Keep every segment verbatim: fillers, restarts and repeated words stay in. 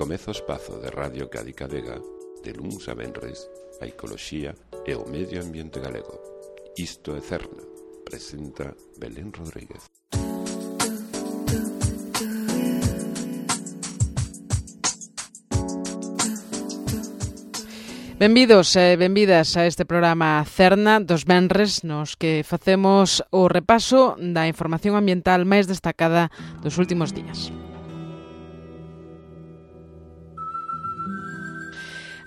Comeza o espazo de Radio Cádiz Vega, de luns a venres, a ecoloxía e o medio ambiente galego. Isto é Cerna, presenta Belén Rodríguez. Benvidos e benvidas a este programa Cerna dos venres, nos que facemos o repaso da información ambiental máis destacada dos últimos días.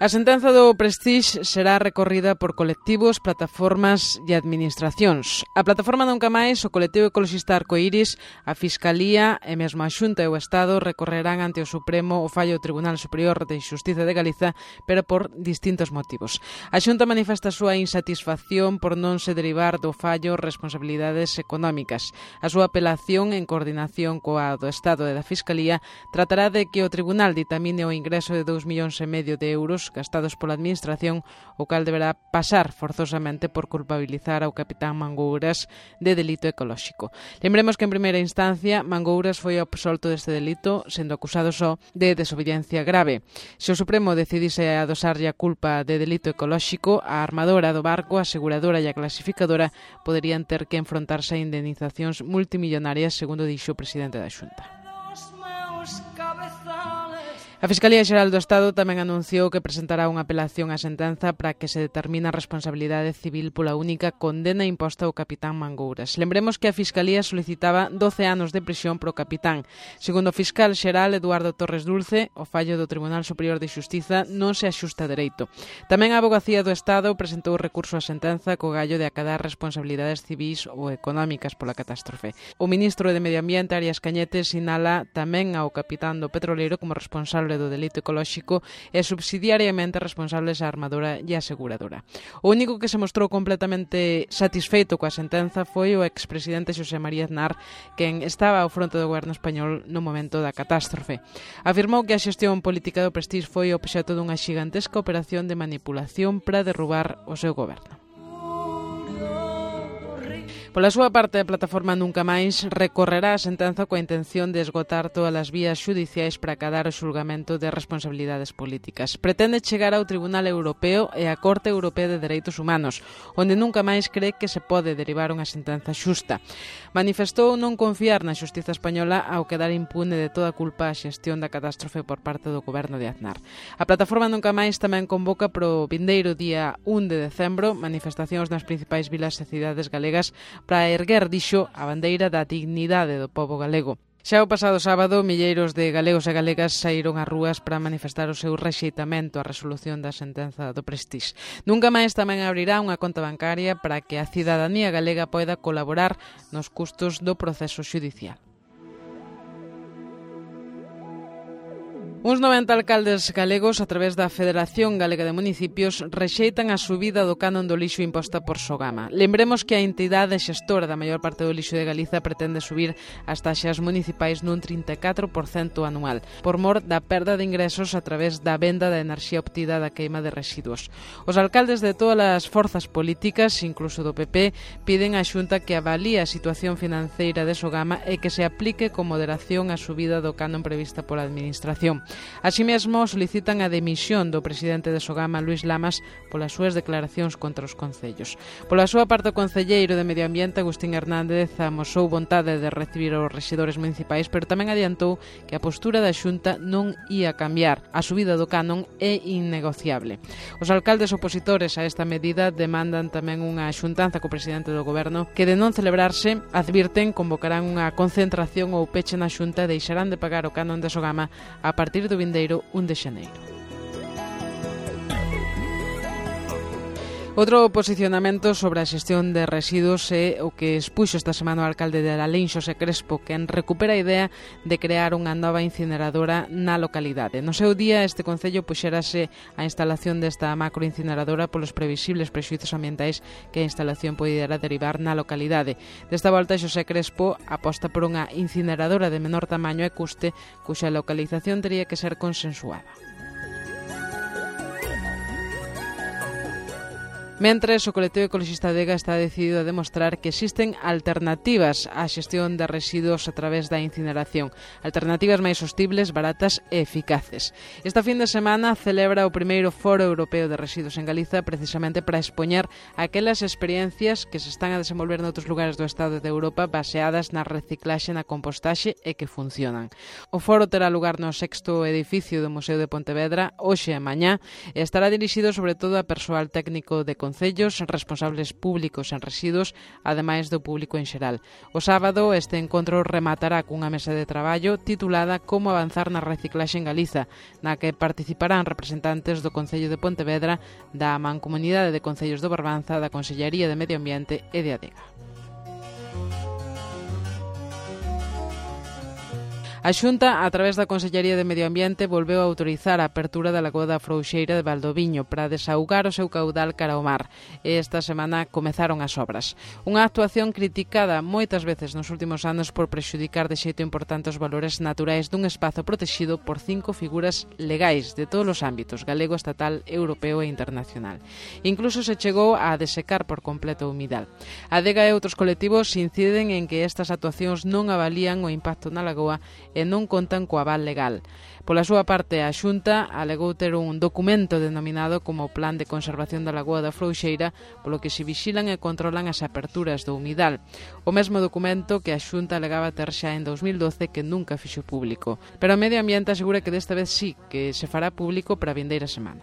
A sentenza do Prestige será recorrida por colectivos, plataformas e administracións. A plataforma Nunca Máis, o colectivo ecoloxista Arcoiris, a Fiscalía e mesmo a Xunta e o Estado recorrerán ante o Supremo o fallo do Tribunal Superior de Xustiza de Galiza, pero por distintos motivos. A Xunta manifesta a súa insatisfacción por non se derivar do fallo responsabilidades económicas. A súa apelación, en coordinación coa do Estado e da Fiscalía, tratará de que o Tribunal ditamine o ingreso de dous millóns e medio de euros gastados pola Administración, o cal deberá pasar forzosamente por culpabilizar ao capitán Mangouras de delito ecolóxico. Lembremos que en primeira instancia Mangouras foi absolto deste delito, sendo acusado só de desobediencia grave. Se o Supremo decidise adosarlle a culpa de delito ecolóxico, a armadora do barco, a aseguradora e a clasificadora poderían ter que enfrontarse a indemnizacións multimillonarias, segundo dixo o presidente da Xunta. A Fiscalía Xeral do Estado tamén anunciou que presentará unha apelación á sentenza para que se determine a responsabilidade civil pola única condena imposta ao capitán Mangouras. Lembremos que a Fiscalía solicitaba doce anos de prisión pro capitán. Segundo o fiscal xeral Eduardo Torres Dulce, o fallo do Tribunal Superior de Xustiza non se axusta a dereito. Tamén a Avogacía do Estado presentou recurso á sentenza co gallo de acadar responsabilidades civís ou económicas pola catástrofe. O ministro de Medio Ambiente, Arias Cañete, sinala tamén ao capitán do petroleiro como responsable do delito ecolóxico e subsidiariamente responsables a armadora e a aseguradora. O único que se mostrou completamente satisfeito coa sentenza foi o expresidente Xosé María Aznar, quen estaba ao fronte do goberno español no momento da catástrofe. Afirmou que a xestión política do Prestige foi obxecto dunha xigantesca operación de manipulación para derrubar o seu goberno. Pola súa parte, a plataforma Nunca Máis recorrerá a sentenza coa intención de esgotar todas as vías xudiciais para acadar o xulgamento de responsabilidades políticas. Pretende chegar ao Tribunal Europeo e á Corte Europea de Dereitos Humanos, onde Nunca Máis cree que se pode derivar unha sentenza xusta. Manifestou non confiar na xustiza española ao quedar impune de toda culpa a xestión da catástrofe por parte do goberno de Aznar. A plataforma Nunca Máis tamén convoca pro vindeiro día un de decembro manifestacións nas principais vilas e cidades galegas para erguer, dixo, a bandeira da dignidade do pobo galego. Xa o pasado sábado, milleiros de galegos e galegas saíron ás rúas para manifestar o seu rexeitamento á resolución da sentenza do Prestige. Nunca máis tamén abrirá unha conta bancaria para que a cidadanía galega poida colaborar nos custos do proceso xudicial. Uns noventa alcaldes galegos, a través da Federación Galega de Municipios, rexeitan a subida do canon do lixo imposta por Sogama. Lembremos que a entidade xestora da maior parte do lixo de Galiza pretende subir as taxas municipais nun trinta e catro por cento anual, por mor da perda de ingresos a través da venda da enerxía obtida da queima de residuos. Os alcaldes de todas as forzas políticas, incluso do P P, piden á Xunta que avalíe a situación financeira de Sogama e que se aplique con moderación a subida do canon prevista pola Administración. Así mesmo, solicitan a demisión do presidente de Sogama, Luís Lamas, polas súas declaracións contra os concellos. Pola súa parte, o concelleiro de Medio Ambiente, Agustín Hernández, amosou vontade de recibir os rexedores municipais, pero tamén adiantou que a postura da Xunta non ia cambiar. A subida do canon é innegociable. Os alcaldes opositores a esta medida demandan tamén unha xuntanza co presidente do goberno que, de non celebrarse, advirten convocarán unha concentración ou peche na Xunta e deixarán de pagar o canon de Sogama a partir do vindeiro un de xaneiro. Outro posicionamento sobre a xestión de residuos é o que expuxo esta semana o alcalde de Lalín, Xosé Crespo, quen recupera a idea de crear unha nova incineradora na localidade. No seu día, este concello puxerase a instalación desta macroincineradora polos previsibles prexuízos ambientais que a instalación poderá derivar na localidade. Desta volta, Xosé Crespo aposta por unha incineradora de menor tamaño e custe, cuxa localización teria que ser consensuada. Mentres, o colectivo ecologista Adega está decidido a demostrar que existen alternativas á xestión de residuos a través da incineración, alternativas máis sostibles, baratas e eficaces. Esta fin de semana celebra o primeiro Foro Europeo de Residuos en Galiza precisamente para expoñer aquelas experiencias que se están a desenvolver noutros lugares do Estado de Europa baseadas na reciclaxe e na compostaxe e que funcionan. O foro terá lugar no sexto edificio do Museo de Pontevedra hoxe e mañá e estará dirixido sobre todo a persoal técnico de concellos, responsables públicos en residuos, ademais do público en xeral. O sábado este encontro rematará cunha mesa de traballo titulada Como avanzar na reciclaxe en Galiza, na que participarán representantes do Concello de Pontevedra, da Mancomunidade de Concellos do Barbanza, da Consellería de Medio Ambiente e de Adega. A Xunta, a través da Consellería de Medio Ambiente, volveu a autorizar a apertura da Lagoa da Frouxeira de Valdoviño para desaugar o seu caudal cara ao mar. E esta semana comezaron as obras. Unha actuación criticada moitas veces nos últimos anos por prexudicar de xeito importante os valores naturais dun espazo protexido por cinco figuras legais de todos os ámbitos, galego, estatal, europeo e internacional. Incluso se chegou a desecar por completo o humidal. A Adega e outros colectivos inciden en que estas actuacións non avalían o impacto na lagoa e non contan co aval legal. Pola súa parte, a Xunta alegou ter un documento denominado como Plan de Conservación da Lagoa da Frouxeira, polo que se vixilan e controlan as aperturas do humidal. O mesmo documento que a Xunta alegaba ter xa en dos mil doce que nunca fixo público. Pero o Medio Ambiente asegura que desta vez sí, que se fará público para a vindeira semana.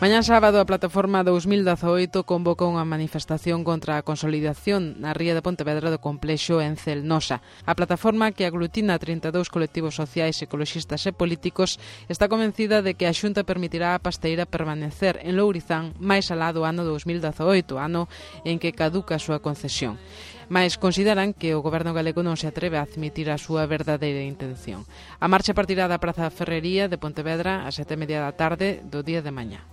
Mañá sábado a plataforma dous mil dezaoito convoca unha manifestación contra a consolidación na ría de Pontevedra do complexo Encelnosa. A plataforma, que aglutina trinta e dous colectivos sociais, ecoloxistas e políticos, está convencida de que a Xunta permitirá a pasteira permanecer en Lourizán máis alá do ano dous mil dezaoito, ano en que caduca a súa concesión. Mais consideran que o goberno galego non se atreve a admitir a súa verdadeira intención. A marcha partirá da Praza Ferrería de Pontevedra a sete e media da tarde do día de mañá.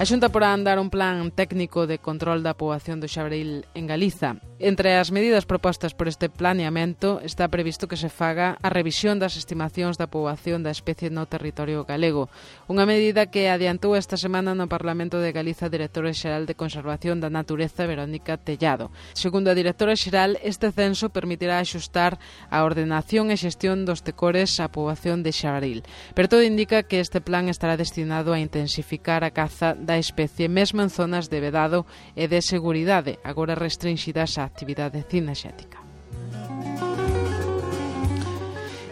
A Xunta porá a andar un plan técnico de control da poboación do xabril en Galiza. Entre as medidas propostas por este planeamento está previsto que se faga a revisión das estimacións da poboación da especie no territorio galego. Unha medida que adiantou esta semana no Parlamento de Galiza a directora xeral de Conservación da Natureza, Verónica Tellado. Segundo a directora xeral, este censo permitirá axustar a ordenación e xestión dos tecores á poboación de xabril. Pero todo indica que este plan estará destinado a intensificar a caza da especie mesmo en zonas de vedado e de seguridade, agora restringidas á actividade cinexética.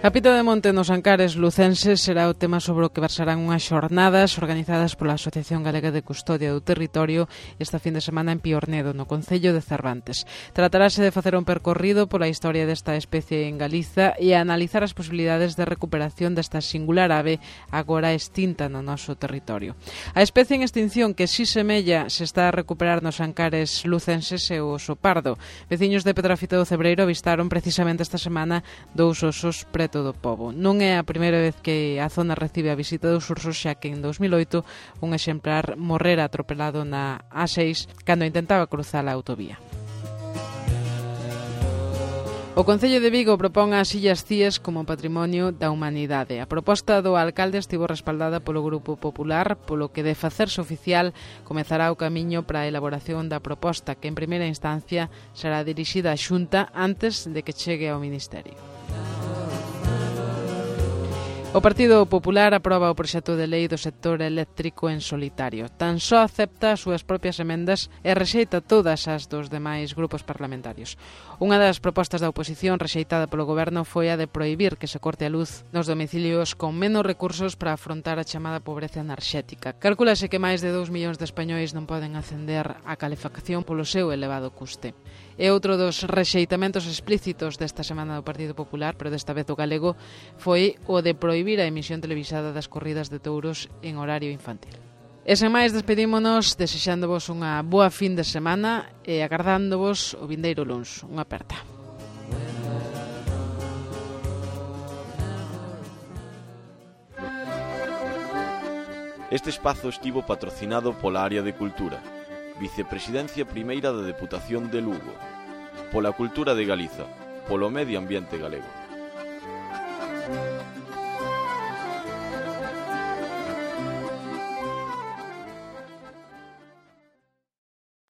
A Pita de Monte nos Ancares lucenses será o tema sobre o que versarán unhas xornadas organizadas pola Asociación Galega de Custodia do Territorio esta fin de semana en Piornedo, no concello de Cervantes. Tratarase de facer un percorrido pola historia desta especie en Galiza e a analizar as posibilidades de recuperación desta singular ave agora extinta no noso territorio. A especie en extinción que si semella se está a recuperar nos Ancares lucenses é o oso pardo. Veciños de Pedrafita do Cebreiro avistaron precisamente esta semana dous osos pretos do pobo. Non é a primeira vez que a zona recibe a visita dos ursos, xa que en dos mil oito un exemplar morrera atropelado na A seis cando intentaba cruzar a autovía. O Concello de Vigo propón as Illas Cíes como patrimonio da humanidade. A proposta do alcalde estivo respaldada polo Grupo Popular, polo que de facerse oficial comezará o camiño para a elaboración da proposta, que en primeira instancia será dirixida á Xunta antes de que chegue ao Ministerio. O Partido Popular aproba o proxecto de lei do sector eléctrico en solitario. Tan só acepta as súas propias emendas e rexeita todas as dos demais grupos parlamentarios. Unha das propostas da oposición rexeitada polo goberno foi a de prohibir que se corte a luz nos domicilios con menos recursos para afrontar a chamada pobreza enerxética. Calcúlase que máis de dous millóns de españois non poden acender a calefacción polo seu elevado custe. E outro dos rexeitamentos explícitos desta semana do Partido Popular, pero desta vez do galego, foi o de prohibir a emisión televisada das corridas de touros en horario infantil. E sen máis, despedímonos desexándovos unha boa fin de semana e agardándovos o vindeiro luns. Unha aperta. Este espazo estivo patrocinado pola Área de Cultura, Vicepresidencia Primeira da Deputación de Lugo, pola Cultura de Galiza, polo Medio Ambiente Galego.